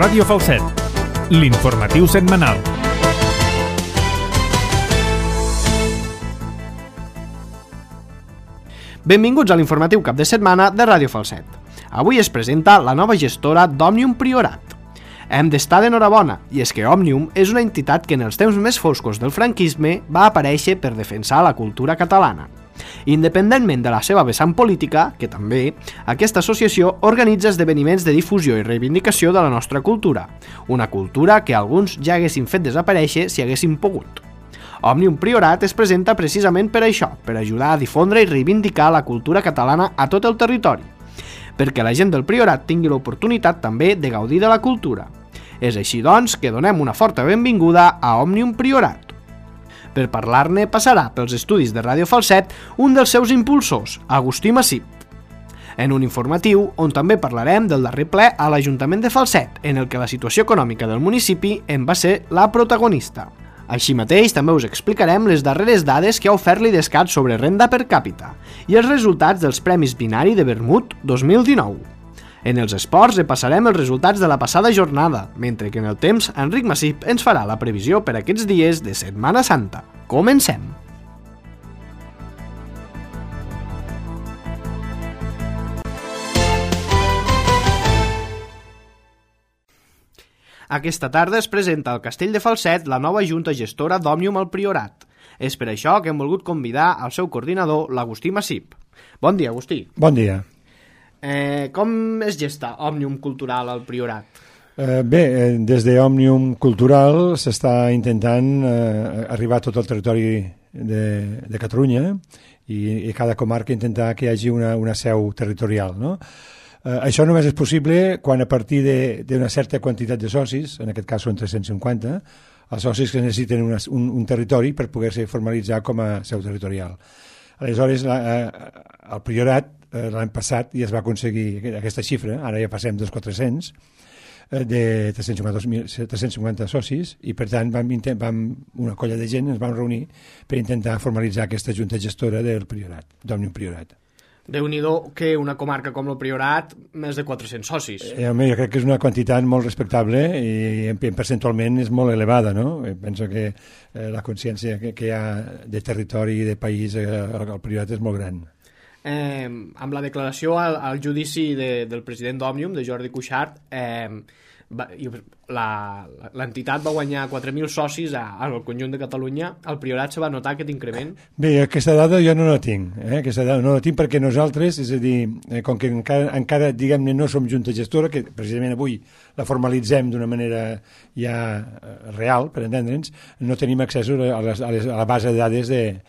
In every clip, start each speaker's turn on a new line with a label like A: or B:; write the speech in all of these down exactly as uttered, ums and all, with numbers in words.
A: Ràdio Falset, l'informatiu setmanal.
B: Benvinguts a l'informatiu cap de setmana de Ràdio Falset. Avui es presenta la nova gestora d'Òmnium Priorat. Hem d'estar d'enhorabona, i és que Òmnium és una entitat que en els temps més foscos del franquisme va aparèixer per defensar la cultura catalana. Independentment de la seva vessant política, que també, aquesta associació organitza esdeveniments de difusió i reivindicació de la nostra cultura, una cultura que alguns ja haguessin fet desaparèixer si haguessin pogut. Òmnium Priorat es presenta precisament per això, per ajudar a difondre i reivindicar la cultura catalana a tot el territori, perquè la gent del Priorat tingui l'oportunitat també de gaudir de la cultura. És així, doncs, que donem una forta benvinguda a Òmnium Priorat. Per parlar-ne passarà pels estudis de Ràdio Falset un dels seus impulsors, Agustí Massip, en un informatiu on també parlarem del darrer ple a l'Ajuntament de Falset, en el que la situació econòmica del municipi en va ser la protagonista. Així mateix, també us explicarem les darreres dades que ha ofert l'Idescat sobre renda per càpita i els resultats dels Premis Binari de Vermut dos mil dinou. En els esports repassarem els resultats de la passada jornada, mentre que en el temps Enric Massip ens farà la previsió per aquests dies de Setmana Santa. Comencem! Aquesta tarda es presenta al Castell de Falset la nova junta gestora d'Òmnium al Priorat. És per això que hem volgut convidar al seu coordinador, l'Agustí Massip. Bon dia, Agustí.
C: Bon dia.
B: Eh, com es gesta Òmnium Cultural al Priorat?
C: Eh, bé, eh, des d'Òmnium Cultural s'està intentant eh, arribar a tot el territori de, de Catalunya i, i cada comarca intentar que hi hagi una, una seu territorial, no? Eh, això només és possible quan a partir d'una certa quantitat de socis, en aquest cas són tres-cents cinquanta, els socis que necessiten una, un, un territori per poder-se formalitzar com a seu territorial. Aleshores, la, eh, el Priorat eh, l'any passat ja es va aconseguir aquesta xifra, ara ja passem dels quatre-cents, eh, de tres-cents cinquanta socis, i per tant vam, vam, una colla de gent ens vam reunir per intentar formalitzar aquesta junta gestora del Priorat, d'Òmnium Priorat.
B: Déu-n'hi-do que una comarca com el Priorat, més de quatre-cents socis.
C: Eh, home, jo crec que és una quantitat molt respectable i percentualment és molt elevada, no? Penso que eh, la consciència que, que hi ha de territori i de país eh, al Priorat és molt gran.
B: Eh, amb la declaració al, al judici de, del president d'Òmnium, de Jordi Cuixart, eh, l'entitat va guanyar quatre mil socis a, al conjunt de Catalunya. Al Priorat se va notar aquest increment?
C: Bé, aquesta dada jo no la tinc, eh? aquesta dada no la tinc perquè nosaltres, és a dir, eh, com que encara, encara diguem-ne, no som junta gestora, que precisament avui la formalitzem d'una manera ja real, per entendre'ns, no tenim accés a, les, a, les, a la base de dades de,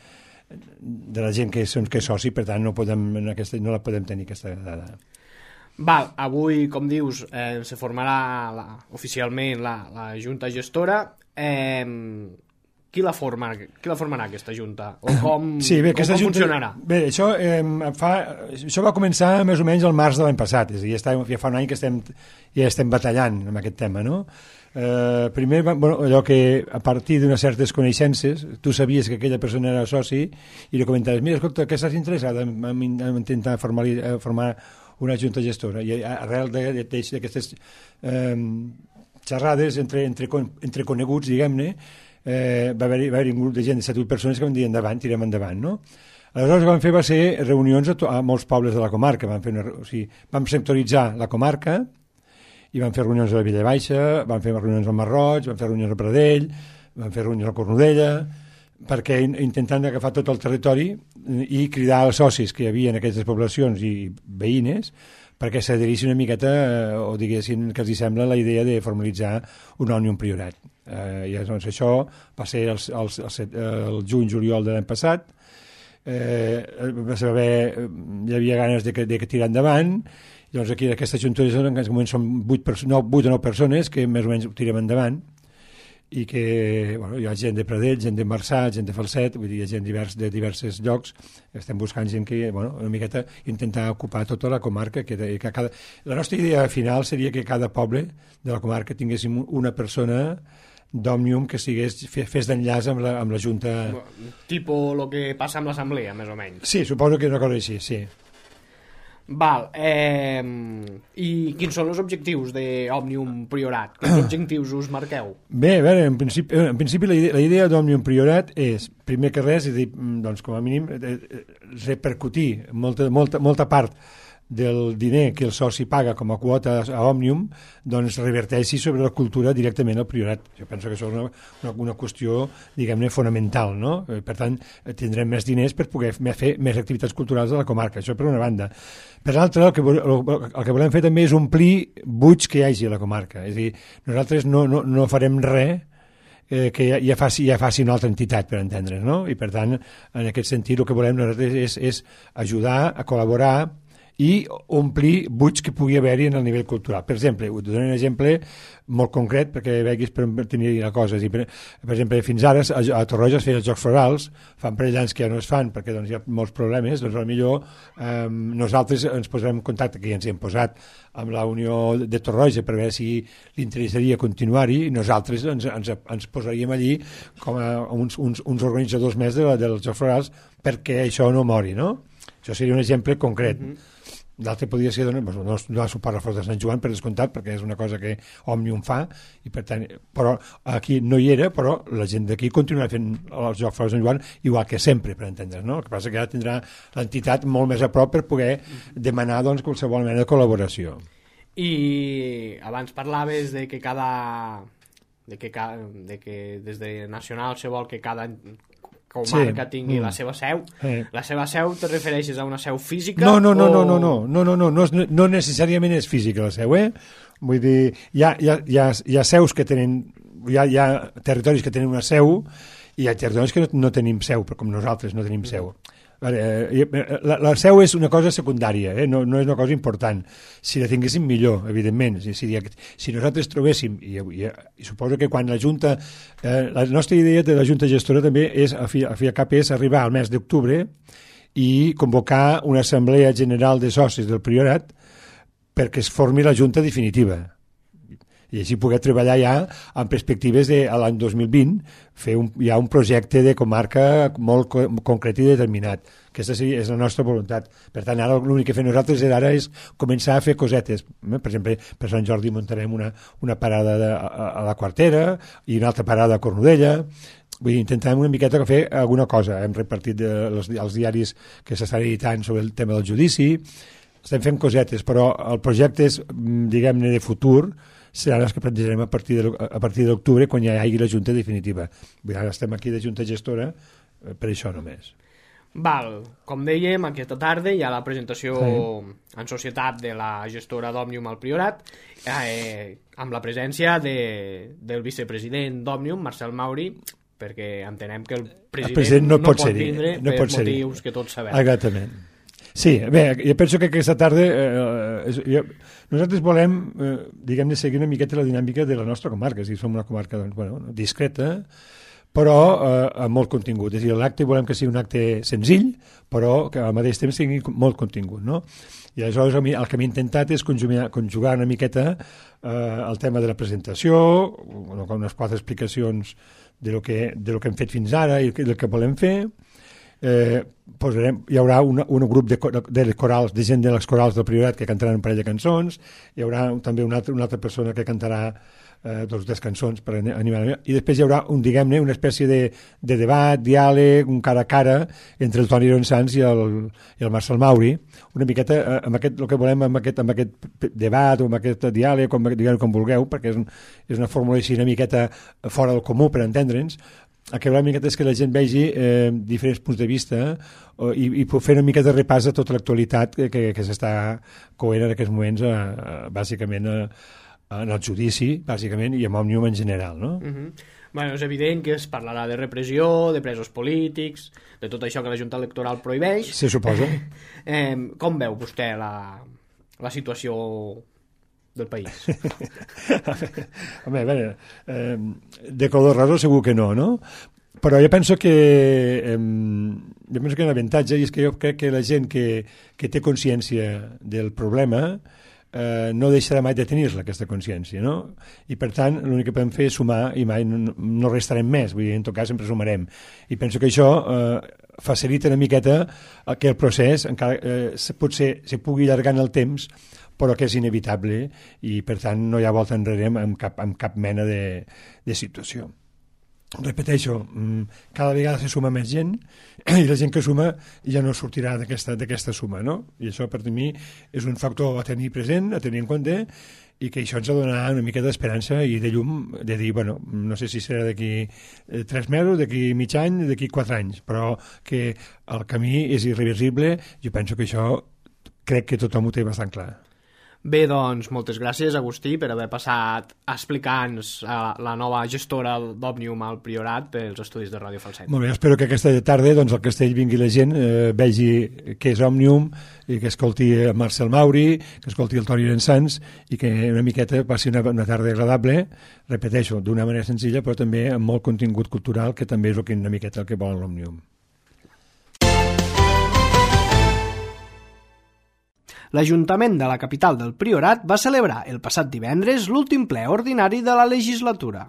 C: de la gent que, som, que és soci, per tant no, podem, aquesta, no la podem tenir, aquesta dada.
B: Val, avui, com dius, eh, se formarà la, oficialment la, la junta gestora. Eh, qui, la forma, qui la formarà, aquesta junta? O com,
C: sí, bé,
B: com, com
C: junta,
B: funcionarà?
C: Bé, això, eh, fa, això va començar més o menys el març de l'any passat, és a dir, ja, està, ja fa un any que estem, ja estem batallant amb aquest tema, no? Eh, primer, bueno, allò que a partir d'unes certes coneixences, tu sabies que aquella persona era soci i li comentaves, mira, escolta, que estàs interessat en, en, en intentar formar, formar una junta gestora, i arrel d'aquestes eh, xerrades entre, entre, entre coneguts, diguem-ne, eh, va haver-hi va haver un grup de gent de set o vuit persones que van dir endavant, tirem endavant, no? Aleshores el que vam fer va ser reunions a, to, a molts pobles de la comarca, vam, fer una, o sigui, vam sectoritzar la comarca i vam fer reunions a la Villa Baixa, vam fer reunions al Marroig, vam fer reunions a Pradell, vam fer reunions a Cornudella, perquè intentant agafar tot el territori i cridar els socis que hi havia en aquestes poblacions i veïnes perquè s'adherissin una miqueta eh, o diguessin que els sembla la idea de formalitzar un Òmnium Priorat. Eh, I doncs això va ser el, el, el, el juny-juliol de l'any passat, eh, va saber, hi havia ganes de, de, de tirar endavant, i doncs aquí aquesta junta en aquest moment són vuit o nou persones que més o menys ho tirem endavant, i que bueno, hi ha gent de Pradell, gent de Marçà, gent de Falset, vull dir, hi ha gent divers, de diversos llocs, estem buscant gent que, bueno, una miqueta intentar ocupar tota la comarca, que, que cada... La nostra idea final seria que cada poble de la comarca tinguéssim una persona d'Òmnium que sigués, fes d'enllaç amb, la, amb la Junta...
B: Tipo el que passa amb l'assemblea, més o menys.
C: Sí, suposo que és una cosa així, sí.
B: Val, eh, i quins són els objectius d'Òmnium Priorat? Quins objectius us marqueu?
C: Bé, a veure, en principi, en principi la idea, la idea d'Òmnium Priorat és, primer que res, és dir, doncs, com a mínim, repercutir molta, molta, molta part del diner que el soci paga com a quota a Òmnium, doncs reverteixi sobre la cultura directament al Priorat. Jo penso que això és una, una, una qüestió, diguem-ne, fonamental, no? Per tant, tindrem més diners per poder fer més activitats culturals a la comarca, això per una banda. Per l'altra, el, que, el que volem fer també és omplir buits que hi hagi a la comarca. És a dir, nosaltres no, no, no farem res eh, que ja, ja, faci, ja faci una altra entitat, per entendre's, no? I per tant, en aquest sentit, el que volem nosaltres és, és ajudar a col·laborar i omplir buits que pugui haver-hi en el nivell cultural. Per exemple, us dono un exemple molt concret perquè veguis per tenir la cosa. Per, per exemple, fins ara a, a Torroja es feien els Jocs Florals, fan parell d'anys que ja no es fan perquè doncs, hi ha molts problemes, doncs potser eh, nosaltres ens posarem en contacte, que ja ens hi hem posat amb la Unió de Torroja per veure si li interessaria continuar-hi, i nosaltres ens, ens, ens posaríem allí com a uns, uns, uns organitzadors més de la, dels Jocs Florals perquè això no mori, no? Això seria un exemple concret. Mm-hmm. L'altre podria ser no, no, no suport a Fort de Sant Joan, per descomptat, perquè és una cosa que Òmnium fa, i per tant, però aquí no hi era, però la gent d'aquí continuarà fent els Jocs Florals de Sant Joan igual que sempre, per entendre's, no? El que passa que ara tindrà l'entitat molt més a prop per poder demanar doncs, qualsevol mena de col·laboració.
B: I abans parlaves de que cada... de que, ca... de que des de Nacional se vol que cada comarca sí. tingui mm. la seva seu. Sí. La seva seu te refereixes a una seu física?
C: No, no, no,
B: o...
C: no, no, no, no, no, no, no, no necessàriament és física la seu, eh? Vull dir, hi ha, hi ha, hi ha, hi ha seus que tenen, hi ha, hi ha territoris que tenen una seu i hi ha territoris que no, no tenim seu, però com nosaltres no tenim seu. La, la seu és una cosa secundària, eh? no, no és una cosa important. Si la tinguéssim millor, evidentment. Si, si, si nosaltres trobéssim, i, i, i suposo que quan la Junta, eh, la nostra idea de la Junta Gestora també és, a fi, a fi a cap, és arribar al mes d'octubre i convocar una assemblea general de socis del Priorat perquè es formi la Junta definitiva. I així poder treballar ja en perspectives de a l'any dos mil vint, fer un, ja un projecte de comarca molt co concret i determinat. Aquesta sí, és la nostra voluntat. Per tant, ara l'únic que fem nosaltres ara és començar a fer cosetes. Per exemple, per Sant Jordi muntarem una, una parada de, a, a la Quartera i una altra parada a Cornudella. Vull dir, intentarem una miqueta fer alguna cosa. Hem repartit de, els, els diaris que s'estan editant sobre el tema del judici. Estem fent cosetes, però el projecte és, diguem-ne, de futur, seran els que plantejarem a partir de, a partir d'octubre quan ja hi hagi la Junta definitiva. Ara estem aquí de Junta Gestora per això només.
B: Val, com dèiem, aquesta tarda hi ha la presentació sí. en societat de la gestora d'Òmnium al Priorat, eh, amb la presència de, del vicepresident d'Òmnium, Marcel Mauri, perquè entenem que el president,
C: el president no, no pot,
B: pot
C: vindre
B: no
C: per
B: pot motius que tots sabem.
C: Exactament. Sí, bé, jo penso que aquesta tarda eh, és, jo, nosaltres volem, eh, diguem-ne, seguir una miqueta la dinàmica de la nostra comarca, és a dir, som una comarca doncs, bueno, discreta, però eh, amb molt contingut. És a dir, l'acte volem que sigui un acte senzill, però que al mateix temps tingui molt contingut, no? I aleshores el que m'he intentat és conjugar, conjugar una miqueta eh, el tema de la presentació, unes quatre explicacions de lo que, de lo que hem fet fins ara i del que volem fer. Eh, posarem, hi haurà una, un grup de, de, corals, de gent de les corals del Priorat que cantaran un parell de cançons, hi haurà també una altra, una altra persona que cantarà eh, dos tres cançons per animar, i després hi haurà un, diguem-ne, una espècie de, de debat, diàleg, un cara a cara entre el Toni Ronsans i el, i el Marcel Mauri, una miqueta eh, amb aquest, el que volem amb aquest, amb aquest debat o amb aquest diàleg, com, diguem com vulgueu, perquè és, un, és una fórmula així una miqueta fora del comú per entendre'ns. El que volem és que la gent vegi eh, diferents punts de vista eh, i, i fer una mica de repàs de tota l'actualitat que, que, que s'està coent en aquests moments eh, bàsicament eh, en el judici bàsicament i amb Òmnium en general, no?
B: Uh-huh. Bueno, és evident que es parlarà de repressió, de presos polítics, de tot això que la Junta Electoral prohibeix.
C: Se suposa.
B: eh, com veu vostè la, la situació del país?
C: Home, a veure, eh, de color raro segur que no, no? Però jo penso que eh, jo penso que hi ha un avantatge i és que jo crec que la gent que, que té consciència del problema eh, no deixarà mai de tenir-la, aquesta consciència, no? I per tant l'únic que podem fer és sumar i mai no, no restarem més, vull dir, en tot cas sempre sumarem. I penso que això eh, facilita una miqueta que el procés encara eh, potser se pugui allargar en el temps, però que és inevitable i per tant no hi ha volta enrere amb cap, amb cap mena de, de situació. Repeteixo, cada vegada se suma més gent i la gent que suma ja no sortirà d'aquesta suma, no? I això per mi és un factor a tenir present, a tenir en compte, i que això ens donarà una mica d'esperança i de llum, de dir, bueno, no sé si serà d'aquí tres mesos, d'aquí mig any, d'aquí quatre anys, però que el camí és irreversible. Jo penso que això crec que tothom ho té bastant clar.
B: Bé, doncs, moltes gràcies, Agustí, per haver passat a explicar-nos la nova gestora d'Òmnium al Priorat pels estudis de Ràdio Falset.
C: Molt bé, espero que aquesta tarda doncs, al Castell vingui la gent, eh, vegi què és Òmnium, i que escolti el Marcel Mauri, que escolti el Toni Llençans, i que una miqueta passi una, una tarda agradable, repeteixo, d'una manera senzilla, però també amb molt contingut cultural, que també és el que, una miqueta el que vol l'Òmnium.
B: L'Ajuntament de la capital del Priorat va celebrar el passat divendres l'últim ple ordinari de la legislatura.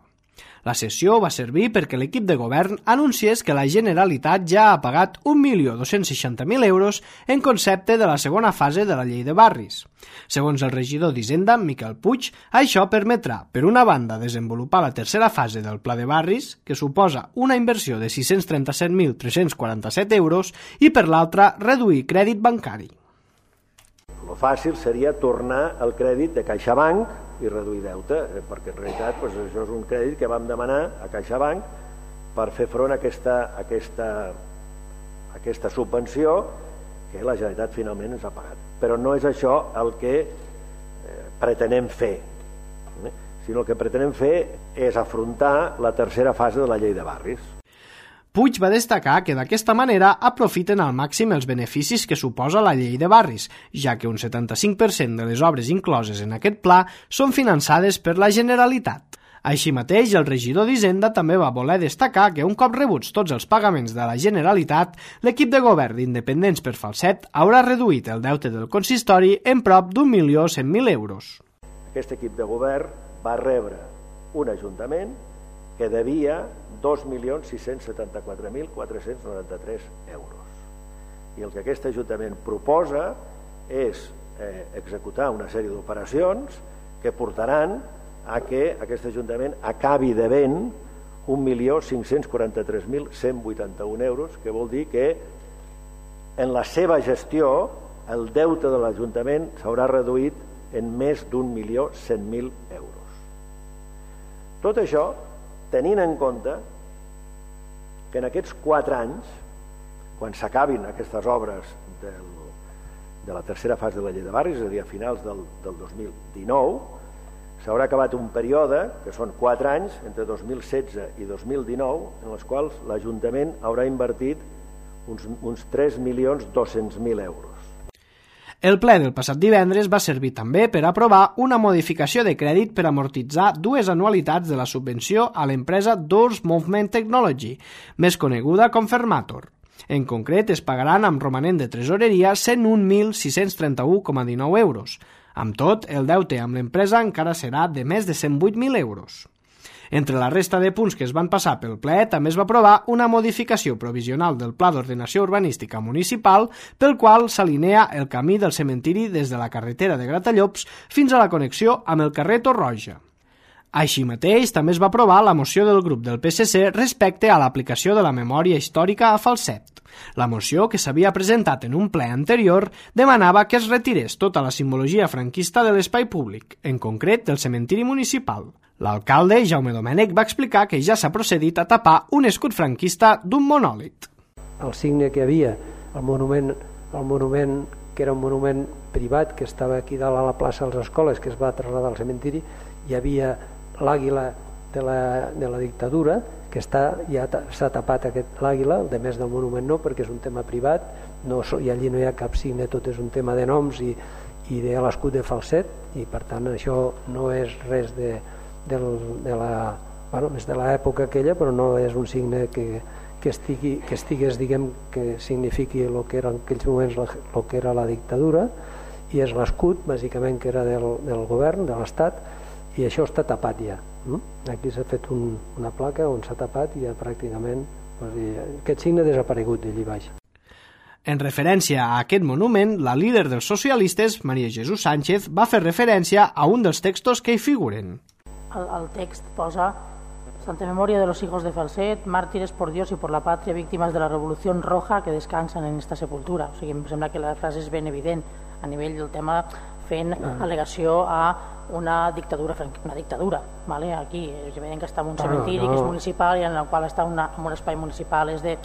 B: La sessió va servir perquè l'equip de govern anunciés que la Generalitat ja ha pagat un milió dos-cents seixanta mil euros en concepte de la segona fase de la llei de barris. Segons el regidor d'Hisenda, Miquel Puig, això permetrà, per una banda, desenvolupar la tercera fase del pla de barris, que suposa una inversió de sis-cents trenta-set mil tres-cents quaranta-set euros, i per l'altra, reduir crèdit bancari.
D: El fàcil seria tornar el crèdit de CaixaBank i reduir deute, perquè en realitat doncs, això és un crèdit que vam demanar a CaixaBank per fer front a aquesta, a aquesta, a aquesta subvenció que la Generalitat finalment ens ha pagat. Però no és això el que eh, pretenem fer, eh? sinó el que pretenem fer és afrontar la tercera fase de la llei de barris.
B: Puig va destacar que d'aquesta manera aprofiten al màxim els beneficis que suposa la llei de barris, ja que un setanta-cinc per cent de les obres incloses en aquest pla són finançades per la Generalitat. Així mateix, el regidor d'Hisenda també va voler destacar que un cop rebuts tots els pagaments de la Generalitat, l'equip de govern d'Independents per Falset haurà reduït el deute del consistori en prop d'un milió cent mil euros.
D: Aquest equip de govern va rebre un ajuntament que devia dos milions sis-cents setanta-quatre mil quatre-cents noranta-tres euros. I el que aquest Ajuntament proposa és eh, executar una sèrie d'operacions que portaran a que aquest Ajuntament acabi devent un milió cinc-cents quaranta-tres mil cent vuitanta-un euros, que vol dir que en la seva gestió el deute de l'Ajuntament s'haurà reduït en més d'un milió cent mil euros. Tot això tenint en compte que en aquests quatre anys, quan s'acabin aquestes obres del, de la tercera fase de la llei de barris, és a dir, a finals del, del dos mil dinou, s'haurà acabat un període, que són quatre anys, entre dos mil setze i dos mil dinou, en els quals l'Ajuntament haurà invertit uns, uns tres milions dos-cents mil euros.
B: El ple del passat divendres va servir també per aprovar una modificació de crèdit per amortitzar dues anualitats de la subvenció a l'empresa Doors Movement Technology, més coneguda com Fermator. En concret, es pagaran amb romanent de tresoreria cent un mil sis-cents trenta-u coma dinou euros. Amb tot, el deute amb l'empresa encara serà de més de cent vuit mil euros. Entre la resta de punts que es van passar pel ple, també es va aprovar una modificació provisional del Pla d'Ordenació Urbanística Municipal pel qual s'alinea el camí del cementiri des de la carretera de Gratallops fins a la connexió amb el carrer Torroja. Així mateix, també es va aprovar la moció del grup del P S C respecte a l'aplicació de la memòria històrica a Falset. La moció, que s'havia presentat en un ple anterior, demanava que es retirés tota la simbologia franquista de l'espai públic, en concret del cementiri municipal. L'alcalde, Jaume Domènech, va explicar que ja s'ha procedit a tapar un escut franquista d'un monòlit.
E: El signe que hi havia, el monument, el monument que era un monument privat que estava aquí dalt a la plaça de les Escoles, que es va traslladar al cementiri, hi havia l'àguila de la, de la dictadura, que està, ja s'ha tapat aquest l'àguila, de més del monument no, perquè és un tema privat, no, i allí no hi ha cap signe, tot és un tema de noms i, i de l'escut de Falset, i per tant això no és res de, de, de la, bueno, és de l'època aquella, però no és un signe que, que, estigui, que estigués, diguem, que signifiqui el que era en aquells moments el que era la dictadura, i és l'escut, bàsicament, que era del, del govern, de l'Estat, i això està tapat ja. Aquí s'ha fet un, una placa on s'ha tapat i ja pràcticament Aquest signe ha desaparegut d'allí baix.
B: En referència a aquest monument, la líder dels socialistes, María Jesús Sánchez, va fer referència a un dels textos que hi figuren.
F: El, el text posa: Santa memoria de los hijos de Falset, mártires por Dios y por la patria, víctimas de la Revolución Roja que descansan en esta sepultura. O sigui, em sembla que la frase és ben evident a nivell del tema, fent al·legació a una dictadura, una dictadura, ¿vale? Aquí és evident que està en un cementiri no, no. que és municipal i en el qual està una, en un espai municipal és de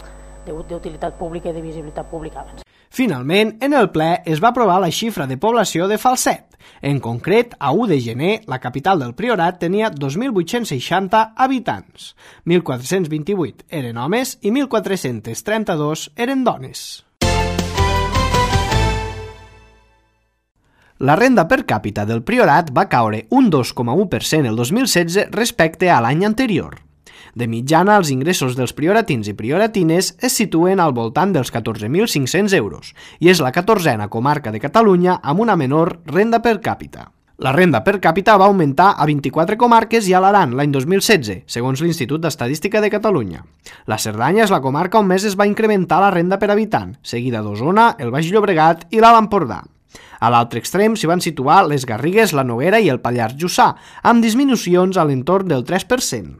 F: d'utilitat pública i de visibilitat pública.
B: Finalment, en el ple es va aprovar la xifra de població de Falset. En concret, a u de gener, la capital del Priorat tenia dos mil vuit-cents seixanta habitants. mil quatre-cents vint-i-vuit eren homes i mil quatre-cents trenta-dos eren dones. La renda per càpita del Priorat va caure un dos coma u per cent el dos mil setze respecte a l'any anterior. De mitjana, els ingressos dels prioratins i prioratines es situen al voltant dels catorze mil cinc-cents euros i és la catorzena comarca de Catalunya amb una menor renda per càpita. La renda per càpita va augmentar a vint-i-quatre comarques i a l'Aran l'any dos mil setze, segons l'Institut d'Estadística de Catalunya. La Cerdanya és la comarca on més es va incrementar la renda per habitant, seguida d'Osona, el Baix Llobregat i l'Alt Empordà. A l'altre extrem s'hi van situar les Garrigues, la Noguera i el Pallars Jussà, amb disminucions a l'entorn del tres per cent.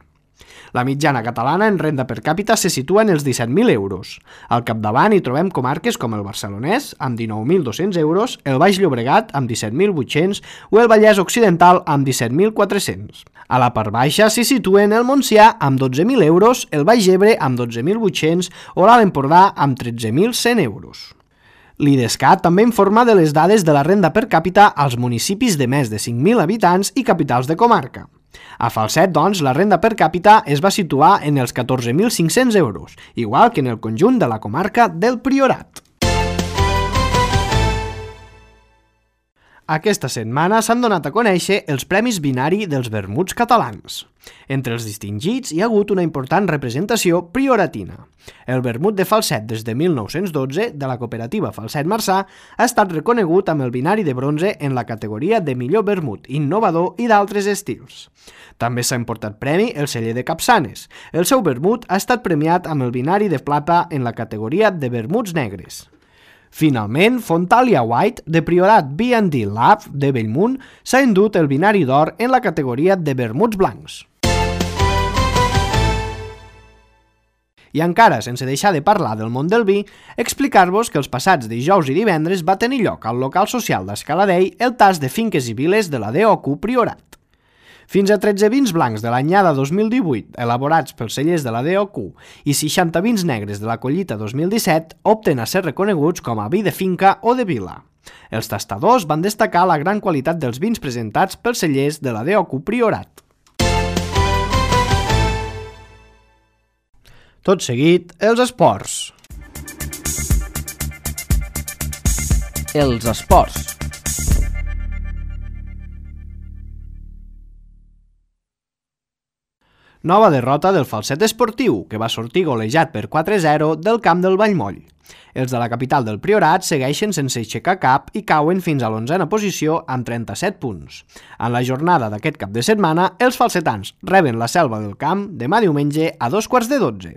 B: La mitjana catalana en renda per càpita se situa en els disset mil euros. Al capdavant hi trobem comarques com el Barcelonès, amb dinou mil dos-cents euros, el Baix Llobregat, amb disset mil vuit-cents, o el Vallès Occidental, amb disset mil quatre-cents. A la part baixa s'hi situen el Montsià, amb dotze mil euros, el Baix Ebre, amb dotze mil vuit-cents, o l'Alt Empordà, amb tretze mil cent euros. L'IDESCAT també informa de les dades de la renda per càpita als municipis de més de cinc mil habitants i capitals de comarca. A Falset, doncs, la renda per càpita es va situar en els catorze mil cinc-cents euros, igual que en el conjunt de la comarca del Priorat. Aquesta setmana s'han donat a conèixer els Premis Binari dels vermuts catalans. Entre els distingits hi ha hagut una important representació prioratina. El vermut de Falset des de mil nou-cents dotze, de la cooperativa Falset Marçà, ha estat reconegut amb el binari de bronze en la categoria de millor vermut innovador i d'altres estils. També s'ha emportat premi el celler de Capçanes. El seu vermut ha estat premiat amb el binari de plata en la categoria de vermuts negres. Finalment, Fontalia White, de Priorat B and D Lab de Bellmunt, s'ha endut el binari d'or en la categoria de vermuts blancs. I encara, sense deixar de parlar del món del vi, explicar-vos que els passats dijous i divendres va tenir lloc al local social d'Escaladei el tas de finques i viles de la D O Q Priorat. Fins a tretze vins blancs de l'anyada dos mil divuit, elaborats pels cellers de la D O Q, i seixanta vins negres de la collita dos mil disset opten a ser reconeguts com a vi de finca o de vila. Els tastadors van destacar la gran qualitat dels vins presentats pels cellers de la D O Q Priorat. Tot seguit, els esports.
G: Els esports.
B: Nova derrota del Falset Esportiu, que va sortir golejat per quatre a zero del camp del Vallmoll. Els de la capital del Priorat segueixen sense aixecar cap i cauen fins a l'onzena posició amb trenta-set punts. En la jornada d'aquest cap de setmana, els falsetans reben la Selva del Camp demà diumenge a dos quarts de dotze.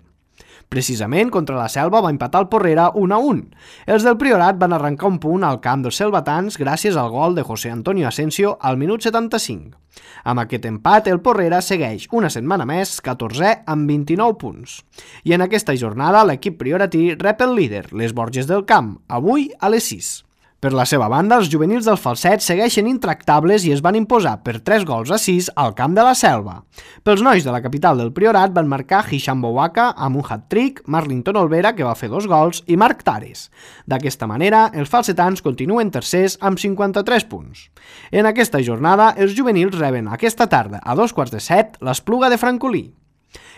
B: Precisament contra la Selva va empatar el Porrera un a un. Els del Priorat van arrencar un punt al camp dels selvatans gràcies al gol de José Antonio Asensio al minut setanta-cinc. Amb aquest empat, el Porrera segueix una setmana més catorzè amb vint-i-nou punts. I en aquesta jornada l'equip prioratí rep el líder, les Borges del Camp, avui a les sis. Per la seva banda, els juvenils del Falset segueixen intractables i es van imposar per tres gols a sis al camp de la Selva. Pels nois de la capital del Priorat van marcar Hisham Bouaka amb un hat-trick, Marlington Olvera, que va fer dos gols, i Marc Tares. D'aquesta manera, els falsetans continuen tercers amb cinquanta-tres punts. En aquesta jornada, els juvenils reben aquesta tarda, a dos quarts de set, l'Espluga de Francolí.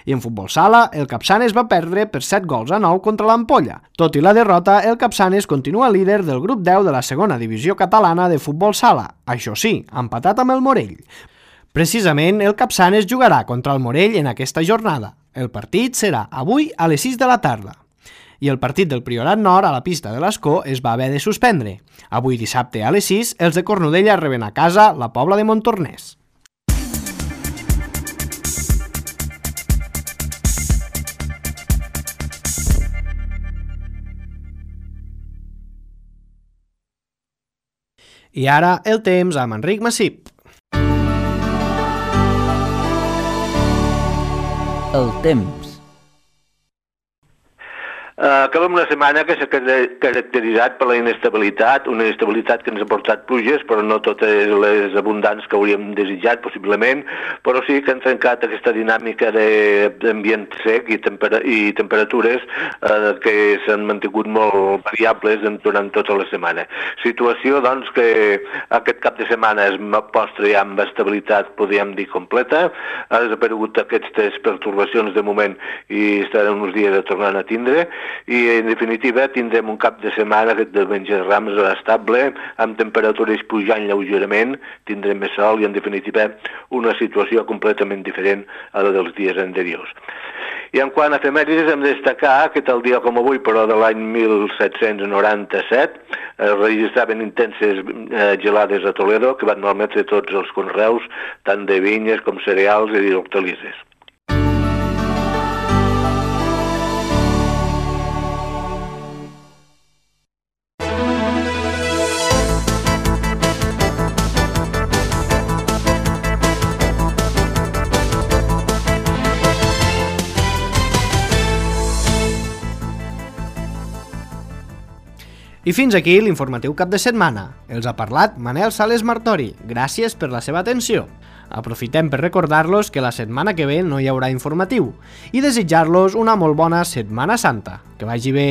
B: I en futbol sala, el Capçanes va perdre per set gols a nou contra l'Ampolla. Tot i la derrota, el Capçanes continua líder del grup deu de la segona divisió catalana de futbol sala, això sí, empatat amb el Morell. Precisament, el Capçanes jugarà contra el Morell en aquesta jornada. El partit serà avui a les sis de la tarda. I el partit del Priorat Nord a la pista de l'Escó es va haver de suspendre. Avui dissabte a les sis, els de Cornudella reben a casa la Pobla de Montornès. I ara el temps amb Enric Massip.
G: El temps.
H: Uh, acabem una setmana que s'ha caracteritzat per la inestabilitat, una inestabilitat que ens ha portat pluges, però no totes les abundants que hauríem desitjat, possiblement, però sí que han trencat aquesta dinàmica d'ambient sec i, tempera i temperatures uh, que s'han mantingut molt variables durant tota la setmana. Situació, doncs, que aquest cap de setmana es mostra ja amb estabilitat, podríem dir, completa. Ha desaparegut aquestes pertorbacions de moment i estaran uns dies a tornar a tindre, i en definitiva tindrem un cap de setmana aquest de diumenge de Rams estable, amb temperatures pujant lleugerament, tindrem més sol i en definitiva una situació completament diferent a la dels dies anteriors. I en quant a efemèrides hem de destacar que tal dia com avui, però de l'any mil set-cents noranta-set, es registraven intenses eh, gelades a Toledo que van malmetre tots els conreus, tant de vinyes com cereals i hortalisses.
B: I fins aquí l'informatiu cap de setmana. Els ha parlat Manel Sales Martori. Gràcies per la seva atenció. Aprofitem per recordar-los que la setmana que ve no hi haurà informatiu i desitjar-los una molt bona Setmana Santa. Que vagi bé!